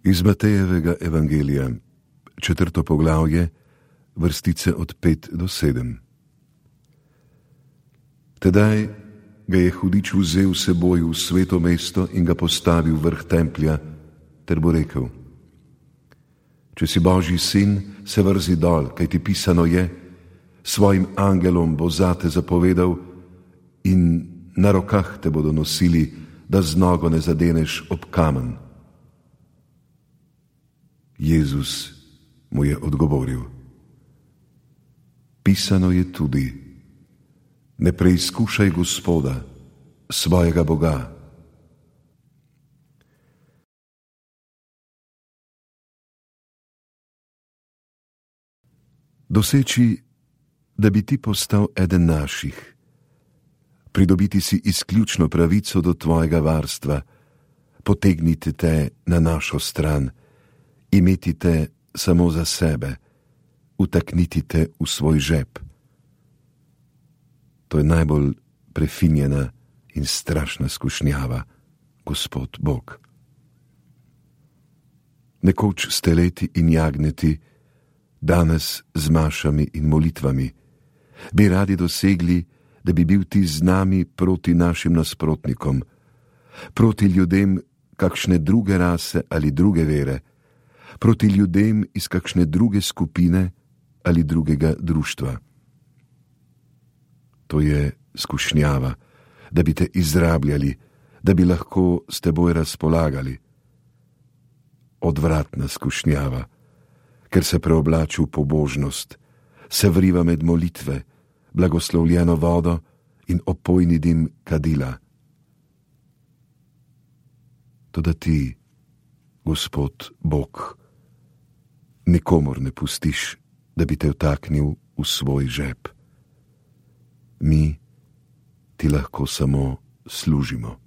Iz Matejevega evangelija, 4. poglavje, vrstice od 5 do 7. Tedaj ga je hudič vzel s seboj v sveto mesto in ga postavil vrh templja, ter mu rekel: Če si Božji sin, se vrzi dol, kajti pisano je: svojim angelom bo zate zapovedal in na rokah te bodo nosili, da z nogo ne zadeneš ob kamen. Jezus mu je odgovoril: pisano je tudi: ne preizkušaj Gospoda, svojega Boga. Doseči, da bi ti postal eden naših, pridobiti si izključno pravico do tvojega varstva, potegniti te na našo stran, imeti te samo za sebe, utakniti te v svoj žep. To je najbolj prefinjena in strašna skušnjava, Gospod Bog. Nekoč s teleti in jagnjeti, danes z mašami in molitvami, bi radi dosegli, da bi bil ti z nami proti našim nasprotnikom, proti ljudem kakšne druge rase ali druge vere, proti ljudem iz kakšne druge skupine ali drugega društva. To je skušnjava, da bi te izrabljali, da bi lahko s teboj razpolagali. Odvratna skušnjava, ker se preoblači v pobožnost, se vriva med molitve, blagoslovljeno vodo in opojni dim kadila. Toda ti, Gospod Bog, nikomur ne pustiš, da bi te vtaknil v svoj žep. Mi ti lahko samo služimo.